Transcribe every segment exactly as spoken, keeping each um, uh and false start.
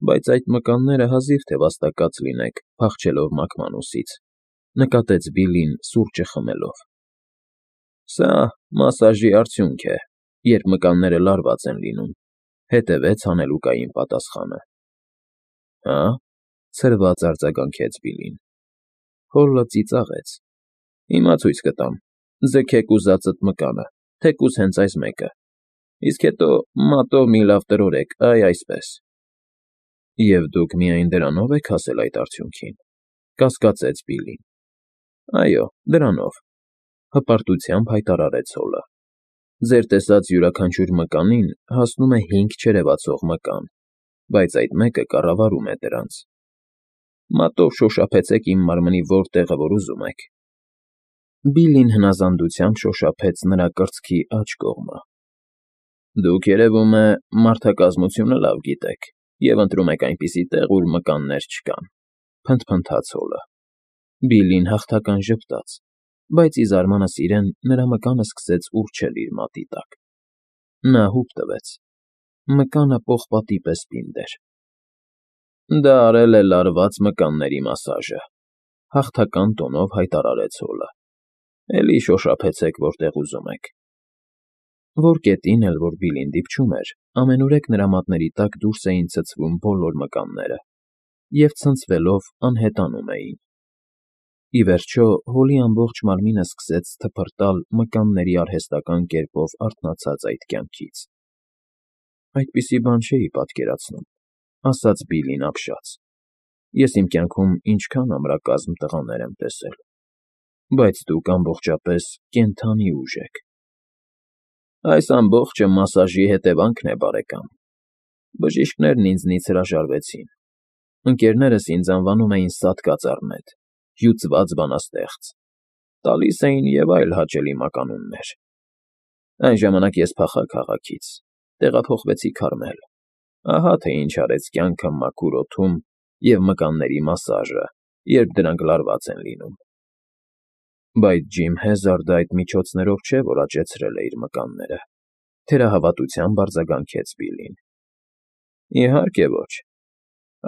Բայց այդ մկանները հազիվ թե վաստակած լինեք, փախչելով մակմանոսից,֊ նկատեց Բիլլին սուրճը խմելով։ ֊ Սա մասաժի արդյունք է, երբ մկանները լարված են լինում,֊ հետևեց հանելուկային պատասխանը։ ֊ Հա՞,֊ ցրված արձագանքեց Բիլլին։ Հոլը ծիծաղեց։ ֊ Հիմա ցույց կտամ, ձգեք ուզածդ մկանը, թեկուզ հենց այս մեկը, իսկ հետո մատով մի լավ տրորեք, այ այսպես։ ֊ Եվ դուք միայն դրանո՞վ եք հասել այդ արդյունքին,֊ կասկածեց Բիլլին։ ֊ Այո, դրանով,֊ հպարտությամբ հայտարարեց Հոլը։ Ձեր տեսած յուրաքանչյուր մկանին հասնում է հինգ չերևացող մկան, բայց այդ մեկը կառավարում է դրանց։ Մատով շոշափեցեք իմ մարմնի որ տեղը, որ ուզում եք։ Բիլլին հնազանդությամբ շոշափեց նրա կրծքի աջ կողմը։ ֊ Դուք, երևում է, մարդակազմությունը լավ գիտեք և ընտրում եք այնպիսի տեղ, ուր մկաններ չկան,֊ փնթփնթաց Հոլը։ Բիլլին հաղթական ժպտաց, բայց ի զարմանս իրեն նրա մկանը սկսեց ուռչել իր մատի տակ։ Նա հուպ տվեց։ Մկանը պողպատի պես պինդ էր։ ֊ Դա արել է լարված մկանների մասաժը,֊ հաղթական տոնով հայտարարեց Հոլը։ Էլի շոշափեցեք որտեղ ուզում եք։ Որ կետին էլ որ Բիլլին դիպչում էր, ամենուրեք նրա մատների տակ դուրս էին ցցվում բոլոր մկանները և, ցնցվելով, անհետանում էին։ Ի վերջո Հոլի ամբողջ մարմինը սկսեց թփրտալ մկանների արհեստական կերպով արթնացած այդ կյանքից։ Այդպիսի բան չէի պատկերացնում,֊ ասաց Բիլլին ապշած։ Ես իմ կյանքում ինչքան ամրակազմ տղաներ եմ տեսել, բայց դուք ամբողջապես կենդանի ուժ եք։ ֊ Այս ամբողջը մասաժի հետևանքն է, բարեկամ։ Բժիշկներն ինձնից հրաժարվեցին։ Ընկերներս ինձ անվանում էին «սատկած առնետ», «հյուծված բանաստեղծ», տալիս էին և այլ հաճելի մականուններ։ Այն ժամանակ ես փախա քաղաքից, տեղափոխվեցի Քարմել, ահա թե ինչ արեց կյանքը մաքուր օդում և մկանների մասաժը, երբ դրանք լարված են լինում։ ֊ Բայց Ջիմ Հեզարդը այդ միջոցներով չէ, որ աճեցրել է իր մկանները,֊ թերահավատությամբ արձագանքեց Բիլլին։ ֊ Իհարկե ոչ։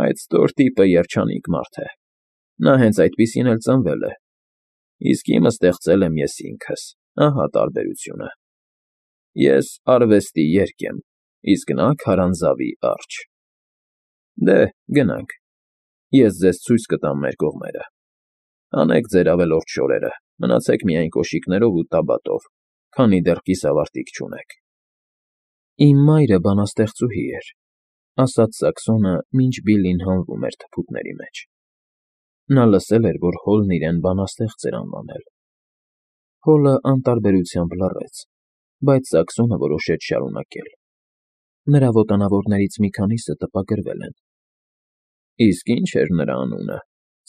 Այդ ստոր տիպը երջանիկ մարդ է։ Նա հենց այդպիսին էլ ծնվել է, իսկ իմը ստեղծել եմ ես ինքս, ահա տարբերությունը։ Ես արվեստի երգ եմ, իսկ նա քարանձավի արջ։ Դե, գնանք, ես ձեզ ցույց կտամ մեր կողմերը։ Հանեք ձեր ավելորդ շորերը, մնացեք միայն կոշիկներով ու տաբատով, քանի դեռ կիսավարտիք չունեք։ ֊ Իմ մայրը բանաստեղծուհի էր,֊ ասաց Սաքսոնը, մինչ Բիլլին հանվում էր թփուտների մեջ։ Նա լսել էր, որ Հոլն իրեն բանաստեղծ էր անվանել։ Հոլը անտարբերությամբ լռեց, բայց Սաքսոնը որոշեց շարունակել։ Նրա ոտանավորներից մի քանիսը տպագրվել են։ ֊ Իսկ ի՞նչ էր նրա անունը,֊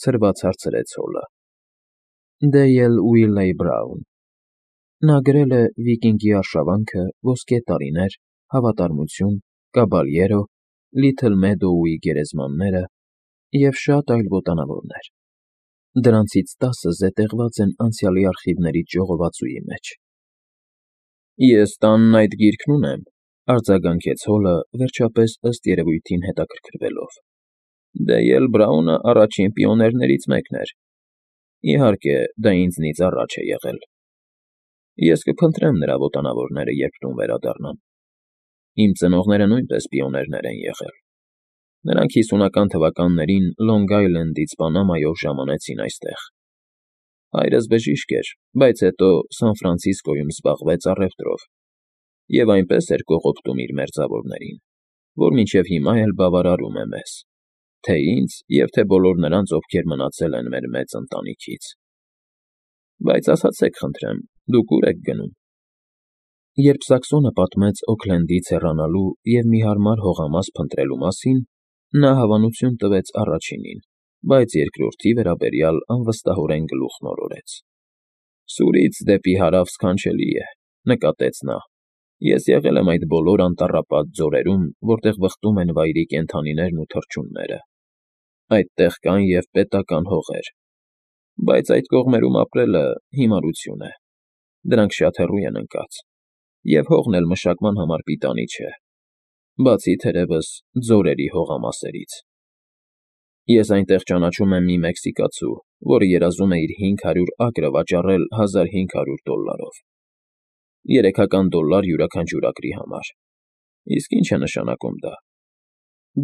ցրված հարցրեց Հոլը։ ֊ Դեյլ Ուիլլեյ Բրաուն։ Նա գրել է «Վիկինգի արշավանքը», «Ոսկե տարիներ», «Հավատարմություն», «Կաբալյերո», «Լիթլ Մեդոուի գերեզմանները» և շատ այլ ոտանավորներ։ Դրանցից տասը զետեղված են անցյալի արխիվներից ժողովածուի մեջ։ ֊ Ես տանն այդ գիրքն ունեմ,֊ արձագանքեց Հոլը, վերջապես, ըստ երևույթին, հետաքրքրվելով։ Դեյլ Բրաունը առաջին պիոներներից մեկն էր։ Իհարկե, դա ինձնից առաջ է եղել։ Ես կփնտրեմ նրա ոտանավորները, երբ տուն վերադառնամ։ Իմ ծնողները նույնպես պիոներներ են եղել։ Նրանք հիսունական թվականներին Լոնգ Այլենդից Պանամայով ժամանեցին այստեղ։ Հայրս բժիշկ էր, բայց հետո Սան Ֆրանցիսկոյում զբաղվեց առևտրով և այնպես էր կողոպտում իր մերձավորներին, որ մինչև հիմա էլ բավարարում է մեզ, թե՛ ինձ և թե բոլոր նրանց, ովքեր մնացել են մեր մեծ ընտանիքից։ Բայց ասացեք խնդրեմ, դուք ո՞ւր եք գնում։ Երբ Սաքսոնը պատմեց Օքլենդից հեռանալու և մի հարմար հողամաս փնտրելու մասին, նա հավանություն տվեց առաջինին, բայց երկրորդի վերաբերյալ անվստահորեն գլուխն օրորեց։ ֊ Սուրից դեպի հարավ սքանչելի է,֊ նկատեց նա,֊ ես եղել եմ այդ բոլոր անտառապատ ձորերում, որտեղ վխտում են վայրի կենդանիներն ու թռչունները։ Այդտեղ կան և պետական հողեր, բայց այդ կողմերում ապրելը հիմարություն է, դրանք շատ հեռու են ընկած, և հողն էլ մշակման համար պիտանի չէ։ բացի թերևս ձորերի հողամասերից։ Ես այնտեղ ճանաչում եմ մի մեքսիկացու, որը երազում է իր հինգ հարյուր ակրը վաճառել հազար հինգ հարյուր դոլլարով։ Երեքական դոլլար յուրաքանչյուր ակրի համար։ Իսկ ի՞նչ է նշանակում դա։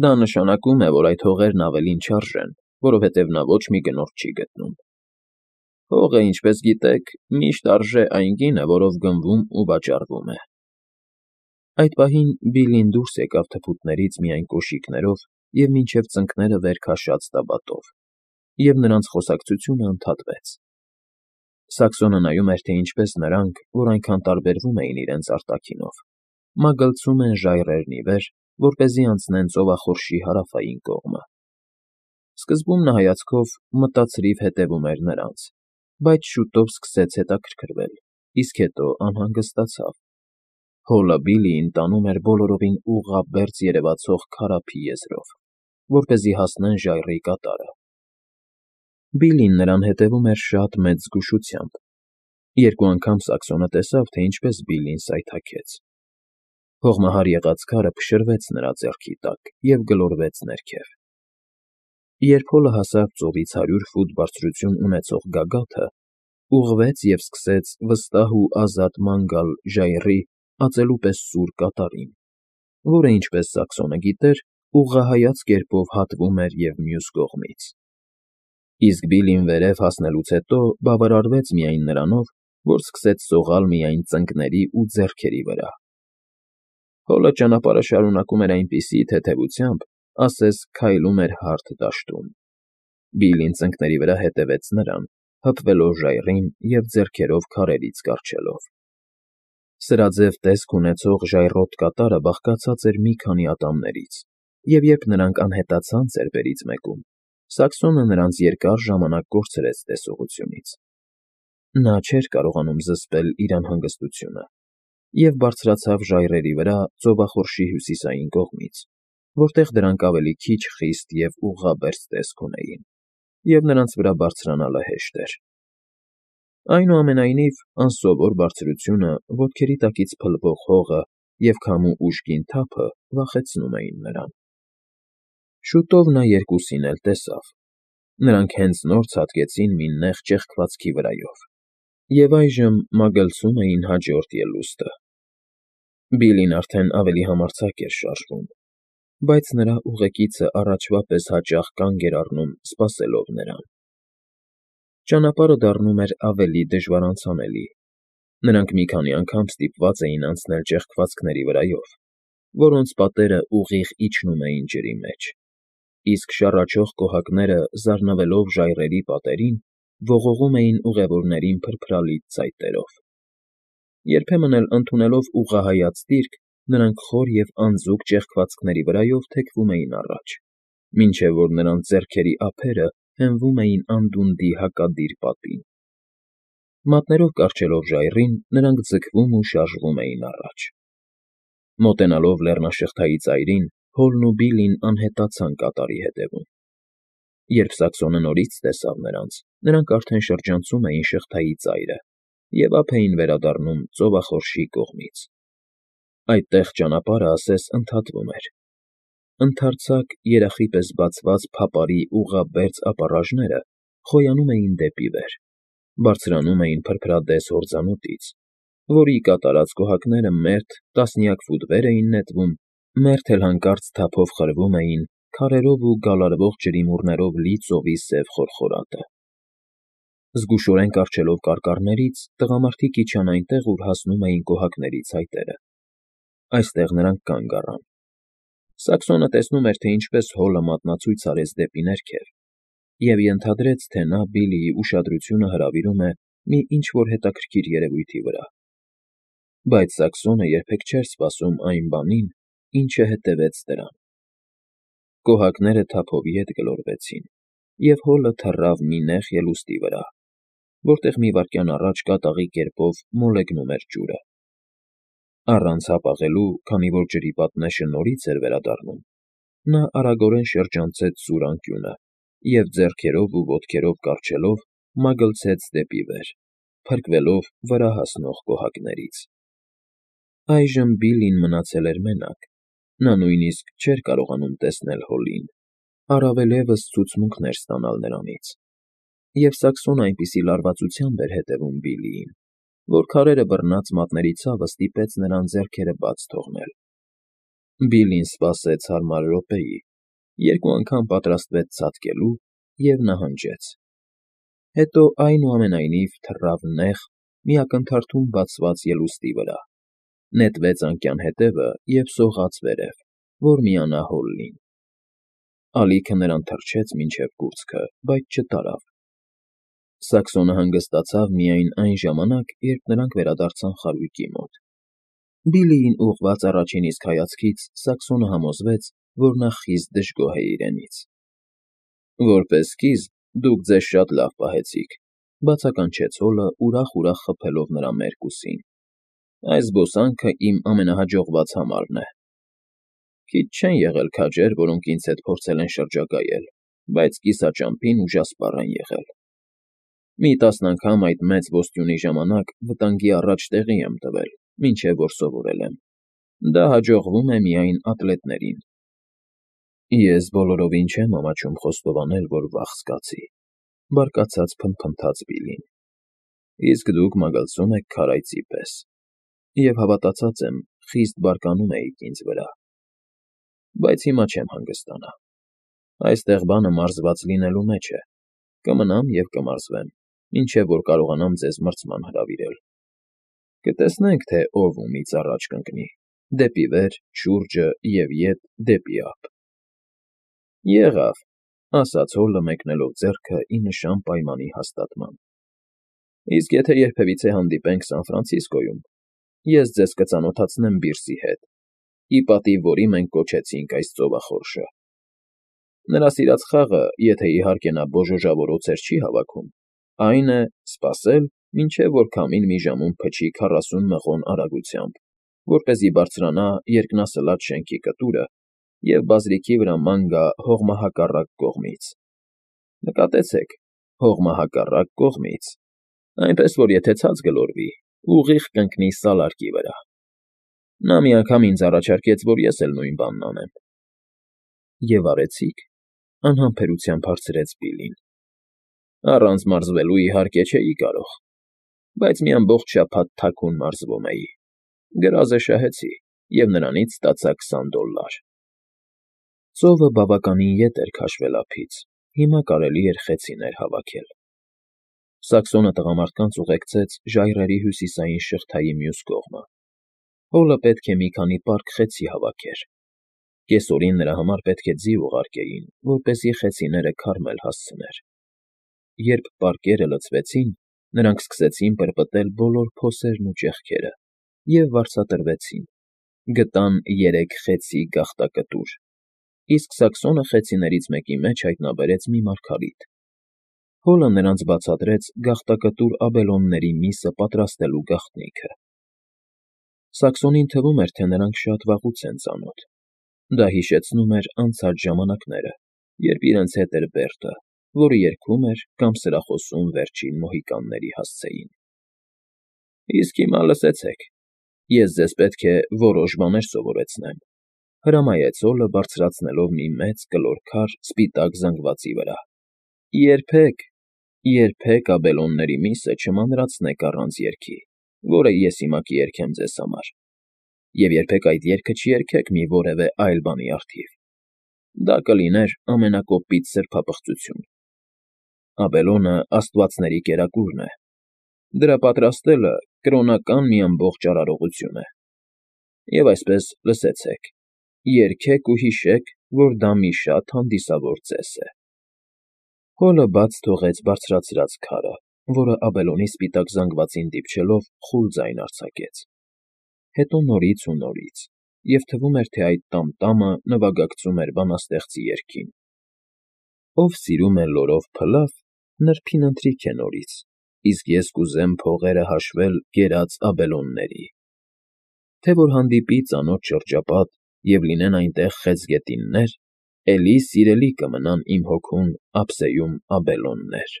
Դա նշանակում է, որ այդ հողերն ավելին չարժեն, որովհետև նա ոչ մի գնորդ չի գտնում։ Հողը, ինչպես գիտեք, միշտ արժե այն գինը, որով գնվում ու վաճառվում է։ Այդ պահին Բիլլին դուրս եկավ թփուտներից միայն կոշիկներով և մինչև ծնկները վեր քաշած տաբատով, և նրանց խոսակցությունը ընդհատվեց։ Սաքսոնը նայում էր, թե ինչպես նրանք, որ այնքան տարբերվում էին իրենց արտաքինով, մագլցում են ժայռերն ի վեր, որպեսզի անցնեն ծովախորշի հարավային կողմը։ Սկզբում նա հայացքով մտածրիվ հետևում էր նրանց, բայց շուտով սկսեց հետաքրքրվել, իսկ հետո անհանգստացավ։ Հոլը Բիլլիին տանում էր բոլորովին ուղղաբերձ երևացող քարափի եզրով, որպեսզի հասնեն ժայռի կատարը։ Բիլլին նրան հետևում էր շատ մեծ զգուշությամբ։ Երկու անգամ Սաքսոնը տեսավ, թե ինչպես Բիլլին սայթաքեց։ Հողմահար եղած քարը փշրվեց նրա ձեռքի տակ և գլորվեց ներքև։ Երբ հոլը հասավ ծովից հարյուր ֆուտ բարձրություն ունեցող գագաթը, ուղղվեց և սկսեց վստահ ու ազատ ման գալ ժայռի ածելու պես սուր կատարին, որը, ինչպես Սաքսոնը գիտեր, ուղղահայաց կերպով հատվում էր և մյուս կողմից։ Իսկ Բիլլին վերև հասնելուց հետո բավարարվեց միայն նրանով, որ սկսեց սողալ միայն ծնկների ու ձեռքերի վրա։ Հոլը ճանապարհը շարունակում էր այնպիսի թեթևությամբ, ասես քայլում էր հարթ դաշտում։ Բիլլին ծնկների վրա հետևեց նրան, հպվելով ժայռին և ձեռքերով քարերից կառչելով։ Սրաձև տեսք ունեցող ժայռոտ կատարը բաղկացած էր մի քանի ատամներից, և երբ նրանք անհետացան ծեպերից մեկում, Սաքսոնը նրանց երկար ժամանակ կորցրեց տեսողությունից։ Նա չէր կարողանում զսպել իր անհանգստությունը և բարձրացավ ժայռերի վրա ծովախորշի հյուսիսային կողմից, որտեղ դրանք ավելի քիչ խիստ և ուղղաբերձ տեսք ունեին, և նրանց վրա բարձրանալը հեշտ էր։ Այնուամենայնիվ, անսովոր բարձրությունը, ոտքերի տակից փլվող հողը և քամու ուժգին թափը վախեցնում էին նրան։ Շուտով նա երկուսին էլ տեսավ։ Նրանք հենց նոր ցատկեցին մի նեղ ճեղքվածքի վրայով և այժմ մագլցում էին հաջորդ ելուստը։ Բիլլին արդեն ավելի համարձակ էր շարժվում, բայց նրա ուղեկիցը առաջվա պես հաճախ կանգ էր առնում, սպասելով նրան։ Ճանապարհը դառնում էր ավելի դժվարանցանելի։ Նրանք մի քանի անգամ ստիպված էին անցնել ճեղքվածքների վրայով, որոնց պատերը ուղիղ իջնում էին ջրի մեջ, իսկ շառաչող կոհակները, զարնվելով ժայռերի պատերին, ողողում էին ուղևորներին փրփրալից ծայտերով։ Երբեմն էլ, ընդունելով ուղղահայաց դիրք, նրանք խոր և անձուկ ճեղքվածքների վրայով թեքվում էին առաջ, մինչև որ նրանց ձեռքերի ափերը հենվում էին անդունդի հակադիր պատին։ Մատներով կառչելով ժայռին, նրանք ձգվում ու շարժվում էին առաջ։ Մոտենալով լեռնաշղթայի ծայրին, Հոլն ու Բիլլին անհետացան կատարի հետևում։ Երբ Սաքսոնը նորից տեսավ նրանց, նրանք արդեն շրջանցում էին շղթայի ծայրը և ափ էին վերադառնում ծովախորշի կողմից։ Այդտեղ ճանապարհը ասես ընդհատվում էր։ Ընդարձակ, երախի պես բացված փապարի ուղղաբերձ ապառաժները խոյանում էին դեպի վեր, բարձրանում էին փրփրադես հորձանուտից, որի կատարած կոհակները մերթ տասնյակ ֆուտ վեր էին նետվում, մերթ էլ հանկարծ թափով խրվում էին քարերով ու գալարվող ջրիմուռներով լի ծովի սև խորխորատը։ Զգուշորեն կառչելով կարկառներից՝ տղամարդիկ իջան այնտեղ, ուր հասնում էին կոհակների ցայտերը։ Այստեղ նրանք կանգ առան։ Սաքսոնը տեսնում էր, թե ինչպես հոլը մատնացույց արեց դեպի ներքև, և ենթադրեց, թե նա Բիլլիի ուշադրությունը հրավիրում է մի ինչ֊որ հետաքրքիր երևույթի վրա։ Բայց Սաքսոնը երբեք չէր սպասում այն բանին, ինչը հետևեց դրան։ Կոհակները թափով ետ գլորվեցին, և հոլը թռավ մի նեղ ելուստի վրա, որտեղ մի վայրկյան առաջ կատաղի կերպով մոլեգնում էր ջուրը։ Առանց հապաղելու, քանի որ ջրի պատնեշը նորից էր վերադառնում, նա արագորեն շրջանցեց սուր անկյունը և ձեռքերով ու ոտքերով կառչելով մագլցեց դեպի վեր, փրկվելով վրա հասնող կոհակներից։ Այժմ Բիլլին մնացել էր մենակ, Նա նույնիսկ չէր կարողանում տեսնել Հոլլին, առավել ևս ցուցմունքներ ստանալ նրանից, և Սաքսոնը այնպիսի լարվածությամբ էր հետևում Բիլլիին, որ քարերը բռնած մատների ցավը ստիպեց նրան ձեռքերը բաց թողնել։ Բիլլին սպասեց հարմար րոպեի, երկու անգամ պատրաստվեց ցատկելու և նահանջեց։ Հետո, այնուամենայնիվ, թռավ նեղ, մի ակնթարթում բացված ելուստի վրա, նետվեց անկյան հետևը և սողաց վերև, որ միանա Հոլլին։ Ալիքը նրան թռչեց մինչև կուրծքը, բայց չտարավ։ Սաքսոնը հանգստացավ միայն այն ժամանակ, երբ նրանք վերադարձան խարույկի մոտ։ Բիլլիին ուղղված առաջին իսկ հայացքից Սաքսոնը համոզվեց, որ նա խիստ դժգոհ է իրենից։ Որպես սկիզբ, դուք ձեզ շատ լավ պահեցիք,֊ բացականչեց Հոլը, ուրախ֊ուրախ խփելով նրա մերկ ուսին։ Այս զբոսանքը իմ ամենահաջողված համարն է։ Քիչ չեն եղել քաջեր, որոնք ինձ հետ փորձել են շրջագայել, բայց կիսաճամփին ուժասպառ են եղել։ Մի տասն անգամ այդ մեծ ոստյունի ժամանակ վտանգի առաջ տեղի եմ տվել, մինչև որ սովորել եմ։ Դա հաջողվում է միայն ատլետներին։ Ես բոլորովին չեմ ամաչում խոստովանել, որ վախ զգացի,֊ բարկացած փնթփնթաց Բիլլին։ Իսկ դուք մագլցում եք քարայծի պես, և հավատացած եմ, խիստ բարկանում էիք ինձ վրա։ Բայց հիմա չեմ հանգստանա։ Այստեղ բանը մարզված լինելու մեջ է։ Կմնամ և կմարզվեմ, մինչև որ կարողանամ ձեզ մրցման հրավիրել։ Կտեսնենք, թե ով ումից առաջ կընկնի՝ դեպի վեր, շուրջը և ետ դեպի ափ։ Եղավ,֊ ասաց Հոլը, մեկնելով ձեռքը ի նշան պայմանի հաստատման։ Իսկ եթե երբևիցե հանդիպենք Սան Ֆրանցիսկոյում, ես ձեզ կծանոթացնեմ Բիրսի հետ, ի պատիվ որի մենք կոչեցինք այս ծովախորշը։ Նրա սիրած խաղը, եթե իհարկե նա բոժոժավորոցեր չի հավաքում, այն է սպասել, մինչև որ քամին մի ժամում փչի քառասուն մղոն արագությամբ, որպեսզի բարձրանա երկնասլաց շենքի կտուրը և բազրիքի վրա ման գա հողմահակառակ կողմից։ Նկատեցեք, հողմահակառակ կողմից, այնպես որ եթե ցած գլորվի, ուղիղ կընկնի սալարկի վրա։ Նա մի անգամ ինձ առաջարկեց, որ ես էլ նույն բանն անեմ։ Եվ արեցի՞ք,֊ անհամբերությամբ հարցրեց Բիլլին։ Առանց մարզվելու, իհարկե, չէի կարող, բայց մի ամբողջ շաբաթ թաքուն մարզվում էի։ Գրազը շահեցի և նրանից ստացա քսան դոլլար։ Ծովը բավականին ետ էր քաշվել ափից, հիմա կարելի էր խեցիներ հավաքել։ Սաքսոնը տղամարդկանց ուղեկցեց ժայռերի հյուսիսային շղթայի մյուս կողմը։ Հոլը պետք է մի քանի պարկ խեցի հավաքեր։ Կեսօրին նրա համար պետք է ձի ուղարկեին, որպեսզի խեցիները քարմել հասցներ։ Երբ պարկերը լցվեցին, նրանք սկսեցին պրպտել բոլոր փոսերն ու ճեղքերը և վարձատրվեցին, գտան երեք խեցի գաղտակտուր, իսկ Սաքսոնը խեցիներից մեկի մեջ հայտնաբերեց մի մարգարիտ։ Հոլը նրանց բացատրեց գաղտակտուր աբելոնների միսը պատրաստելու գաղտնիքը։ Սաքսոնին թվում էր, թե նրանք շատ վաղուց են ծանոթ։ Դա հիշեցնում էր անցած ժամանակները, երբ իրենց հետ էր Բերտը, որը երգում էր կամ սրախոսում վերջին մոհիկանների հասցեին։ Իսկ հիմա լսեցեք, ես ձեզ պետք է որոշ բաներ սովորեցնեմ,֊ հրամայեց Հոլը, բարձրացնելով մի մեծ կլոր քար սպիտակ զանգվածի վրա։ Երբեք, երբեք աբելոնների միսը չմանրացնեք առանց երգի, որը ես հիմա կերգեմ ձեզ համար, և երբեք այդ երգը չերգեք մի որևէ այլ բանի առթիվ։ Դա կլիներ ամենակոպիտ սրբապղծություն։ Աբելոնը աստվածների կերակուրն է։ Դրա պատրաստելը կրոնական մի ամբողջ արարողություն է։ Եվ այսպես, լսեցեք, երգեք ու հիշեք, որ դա մի շատ հանդիսավոր ծես է։ Հոլը բաց թողեց բարձրացրած քարը, որը աբելոնի սպիտակ զանգվածին դիպչելով խուլ ձայն արձակեց։ Հետո նորից ու նորից, և թվում էր, թե այդ տամ֊տամը նվագակցում էր բանաստեղծի երգին. Ով սիրում է լորով փլավ, նրբին ընթրիք է նորից, իսկ ես կուզեմ փողերը հաշվել կերած աբելոնների։ Թե որ հանդիպի ծանոթ շրջապատ և լինեն այնտեղ խեցգետիններ, էլի սիրելի կմնան իմ հոգուն ափսեում աբելոններ։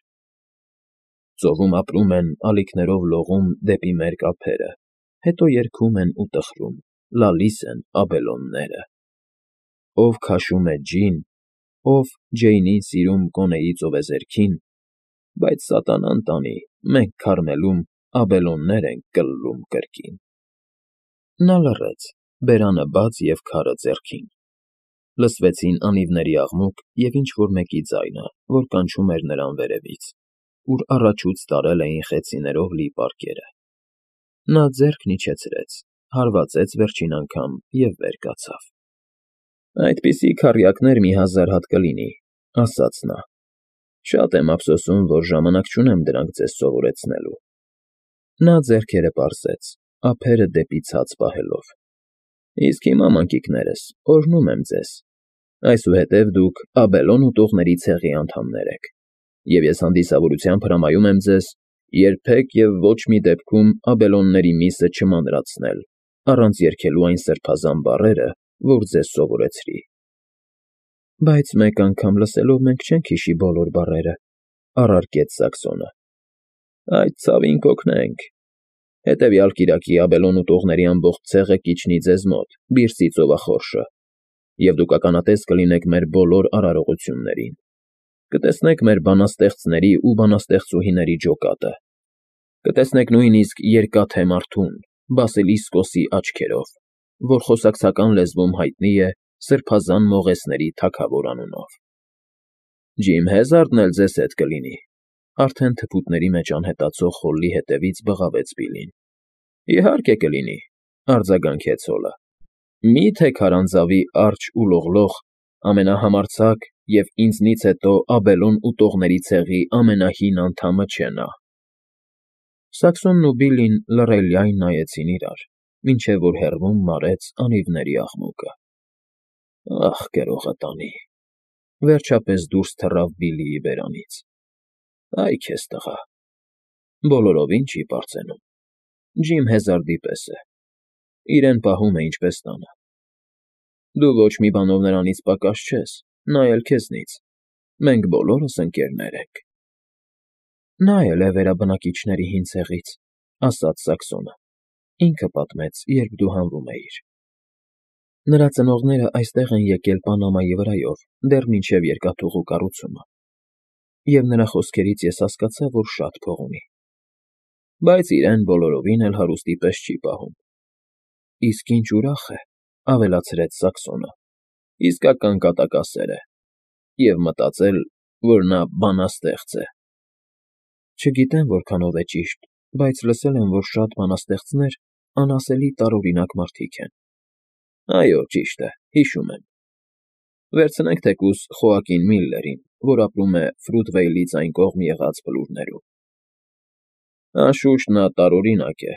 Ծովում ապրում են, ալիքներով լողում դեպի մերկ ափերը, հետո երգում են ու տխրում, լալիս են աբելոնները։ Ով քաշում է ջին, ով Ջեյնին սիրում կոնեի ծովեզերքին, բայց սատանան տանի, մենք քարմելում աբելոններ ենք կլլում կրկին։ Նա լռեց, բերանը բաց և քարը ձեռքին։ Լսվեցին անիվների աղմուկ և ինչ֊որ մեկի ձայնը, որ կանչում էր նրան վերևից, ուր առաջուց տարել էին խեցիներով լի պարկերը։ Նա ձեռքն իջեցրեց, հարվածեց վերջին անգամ և վեր կացավ։ «Այդպիսի քառյակներ մի հազար հատ կլինի,֊ ասաց նա։֊ Շատ եմ ափսոսում, որ ժամանակ չունեմ դրանք ձեզ սովորեցնելու»։ Նա ձեռքերը պարզեց, ափերը դեպի ցած պահելով։ «Իսկ հիմա, մանկիկներս, օրհնում եմ ձեզ. այսուհետև դուք Աբելոն ուտողների ցեղի անդամներ եք, և ես հանդիսավորությամբ հրամայում եմ ձեզ երբեք և ոչ մի դեպքում Աբելոնների միսը չմանրացնել, առանց երգելու այն սրբազան բառերը, որ ձեզ սովորեցրի»։ Բայց մեկ անգամ լսելով մենք չենք հիշի բոլոր բառերը,֊ առարկեց Սակսոնը։ Այդ ցավին կօգնենք. հետևյալ կիրակի Աբելոն ուտողների ամբողջ ցեղը կիջնի ձեզ մոտ, Բիրսի ծովախորշը, և դուք ականատես կլինեք մեր բոլոր արարողություններին. կտեսնեք մեր բանաստեղծների ու բանաստեղծուհիների ջոկատը, կտեսնեք նույնիսկ Երկաթե Մարդուն՝ Բասիլիսկոսի աչքերով, որ խոսակցական լեզվում հայտնի է Սրբազան մողեսների թագավոր անունով։ Ջիմ Հեզարդն էլ ձեզ հետ կլինի,֊ արդեն թփուտների մեջ անհետացող խոլլի հետևից բղավեց Բիլլին։ Իհարկե կլինի,֊ արձագանքեց Հոլը։ Մի՞թե քարանձավի արջ ու լողլող, ամենահամարձակ և ինձնից հետո Աբելոն ուտողների ցեղի ամենահին անդամը չէ նա։ Սակսոնն ու Բիլլին լռելիայն նայեցին իրար, մինչև որ հեռվում մարեց անիվների աղմուկը։ Ախ, գրողը տանի,֊ վերջապես դուրս թռավ Բիլլիի բերանից։ Այ քեզ տղա, բոլորովին չի պարծենում, Ջիմ Հեզարդի պես է, իրեն պահում է ինչպես տանը։ Դու ոչ մի բանով նրանից պակաս չես, նա էլ քեզնից, մենք բոլորս ընկերներ ենք։ Նա էլ է վերաբնակիչների հին ցեղից,֊ ասաց Սակսոնը,֊ ինքը պատմեց, երբ դու հանվում էիր։ Նրա ծնողները այստեղ են եկել Պանամայի վրայով դեռ մինչև երկաթուղու կառուցումը, և նրա խոսքերից ես հասկացա, որ շատ փող ունի։ Բայց իրեն բոլորովին էլ հարուստի պես չի պահում։ Իսկ ինչ ուրախ է,֊ ավելացրեց Սակսոնը,֊ իսկական կատակասեր է, և մտածել, որ նա բանաստեղծ է։ Չգիտեմ որքանով է ճիշտ, բայց լսել եմ, որ շատ բանաստեղծներ անասելի տարօրինակ մարդիկ են։ Այո, ճիշտ է, հիշում եմ։ Վերցնենք թեկուզ Խոակին Միլլերին, որ ապրում է Ֆրութվեյլից այն կողմ եղած բլուրներում։ Անշուշտ նա տարօրինակ է։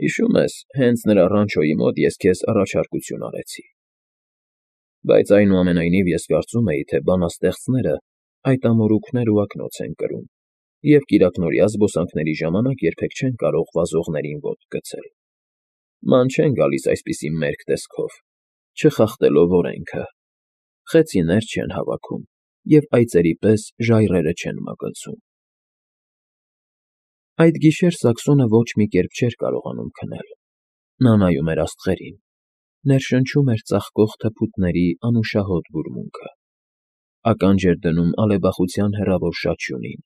Հիշում ես, հենց նրա ռանչոյի մոտ ես քեզ առաջարկություն արեցի։ Բայց այնուամենայնիվ ես կարծում էի, թե բանաստեղծները այդ ամորուքներ ու ակնոց են կրում և կիրակնօրյա զբոսանքների ժամանակ երբեք չեն կարող վազողներին ոտք գցել։ Ման չեն գալիս այսպիսի մերկ տեսքով, չխախտելով օրենքը, խեցիներ չեն հավաքում և այծերի պես ժայռերը չեն մագլցում։ Այդ գիշեր Սակսոնը ոչ մի կերպ չէր կարողանում քնել։ Նա նայում էր աստղերին, ներշնչում էր ծաղկող թփուտների անուշահոտ բուրմունքը, ականջ էր դնում ալեբախության հեռավոր շաչյունին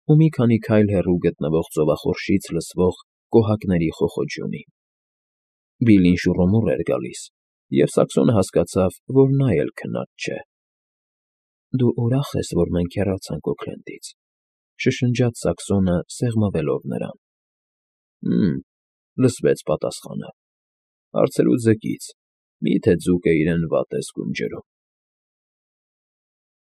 ու մի քանի քայլ հեռու գտնվող ծովախորշից լսվող կոհակների խոխոջյունին։ Բիլլին շուռումուռ էր գալիս, և Սակսոնը հասկացավ, որ նա էլ քնած չէ։ Դու ուրախ ես, որ մենք հեռացանք Օքլենդից,֊ շշնջաց Սակսոնը, սեղմվելով նրան։ Հը՛մ,֊ լսվեց պատասխանը,֊ հարցրու ձկից, մի՞թե ձուկը իրեն վատ է զգում ջրում։